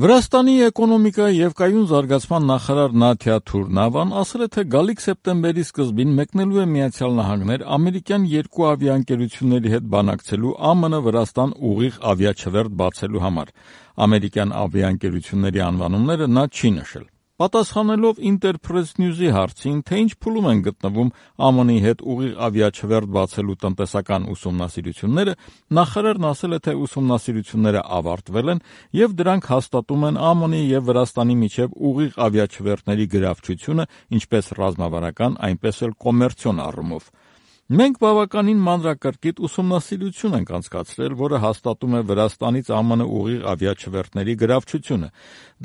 Վրաստանի էկոնոմիկայի և կայուն զարգացման նախարար Նաթյա Թուրնավան ասել է, թե գալիք սեպտեմբերի սկզբին մեկնելու է Միացյալ Նահանգներ ամերիկյան երկու ավիաընկերությունների հետ բանակցելու ԱՄՆ-Վրաստան ուղիղ ավիաչվերթ բացելու համար։ Ամերիկյան ավիաընկերությունների անվանումները նա չի նշել։ Պատասխանելով Interpress News-ի հարցին, թե ինչ փուլում են գտնվում ԱՄՆ-ի հետ ուղիղ ավիաչվերթ բացելու տնտեսական ուսումնասիրությունները, նախարարն ասել է, թե ուսումնասիրությունները ավարտվել են և դրանք հաստատում են ԱՄՆ-ի և Վրաստանի միջև ուղիղ ավիաչվերթների գրավչությունը ինչպես ռազմավարական, այնպես էլ կոմերցիոն առումով։ Մենք բավականին մանրակրկիտ ուսումնասիրություն ենք անցկացրել, որը հաստատում է Վրաստանից ԱՄՆ ուղիղ ավիաչվերթների գրավչությունը։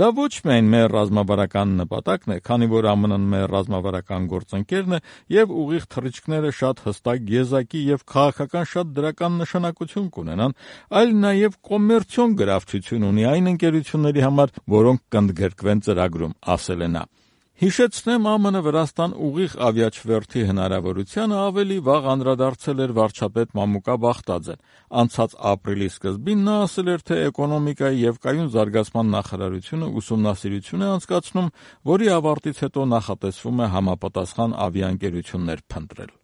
Դա ոչ միայն մեր ռազմավարական նպատակն է, քանի որ ԱՄՆ-ն մեր ռազմավարական գործընկերն է և ուղիղ թռիչքները շատ հստակ եզակի և քաղաքական շատ դրական նշանակություն կունենան, այլ նաև կոմերցիոն գրավչություն ունի այն ընկերությունների համար, որոնք կընդգրկվեն ծրագրում, ասել է նա։ Հիշեցնեմ, ԱՄՆ-Վրաստան ուղիղ ավիաչվերթի հնարավորությանը ավելի վաղ անդրադարձել էր վարչապետ Մամուկա Բախտաձեն։ Անցած ապրիլի սկզբին նա ասել էր, թե էկոնոմիկայի և կայուն զարգացման նախարարությունը ուսումնասիրություն է անցկացնում, որի ավարտից հետո նախատեսվում է համապատասխան ավիաընկերություններ փնտրել։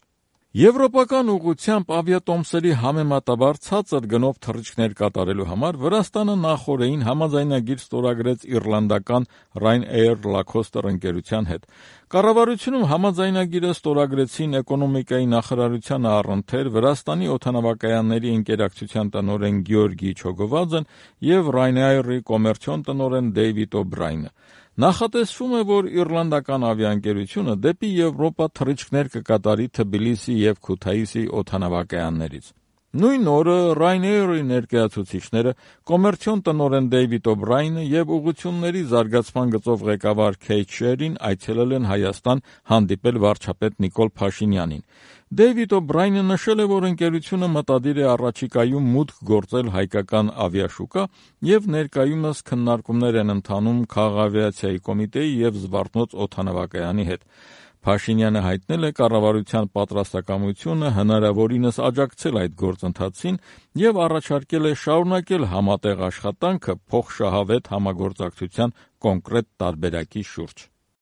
Եվրոպական ուղղությամբ ավիատոմսերի համեմատաբար ցածր գնով թռիչքներ կատարելու համար Վրաստանը նախօրեին համաձայնագիր ստորագրեց իռլանդական Ryanair Lacoste ընկերության հետ։ Կառավարությունում համաձայնագիրը ստորագրեցին էկոնոմիկայի նախարարության առընթեր Վրաստանի օդանավակայանների ընկերակցության տնօրեն Գեորգի Չոգովաձեն և Ryanair-ի կոմերցիոն տնօրեն Դեյվիդ Օ'Բրայնը։ Նախատեսվում է, որ իռլանդական ավիաընկերությունը դեպի Եվրոպա թռիչքներ կկատարի Թբիլիսի և Քութայիսի օդանավակայաններից։ Նույն օրը Ryanair-ի ներկայացուցիչները, կոմերցիոն տնօրեն Դեյվիդ Օ'Բրայնը և ուղղությունների զարգացման գծով ղեկավար Քեյթ Շերին այցելել են Հայաստան հանդիպել վարչապետ Նիկոլ Փաշինյանին։ Դեյվիդ Օ'Բրայնը նշել է, որ ընկերությունը մտադիր է առաջիկայում մուտք գործել հայկական ավիաշուկա և ներկայումս քննարկումներ են ընթանում Քաղաքավիացիայի կոմիտեի և Զվարթնոց օդանավակայանի հետ։ Փաշինյանը հայտնել է կառավարության պատրաստակամությունը հնարավորինս աջակցել այդ գործընթացին և առաջարկել է շարունակել համատեղ աշխատանքը փոխշահավետ համագործակցության կոնկրետ տարբերակի շուրջ։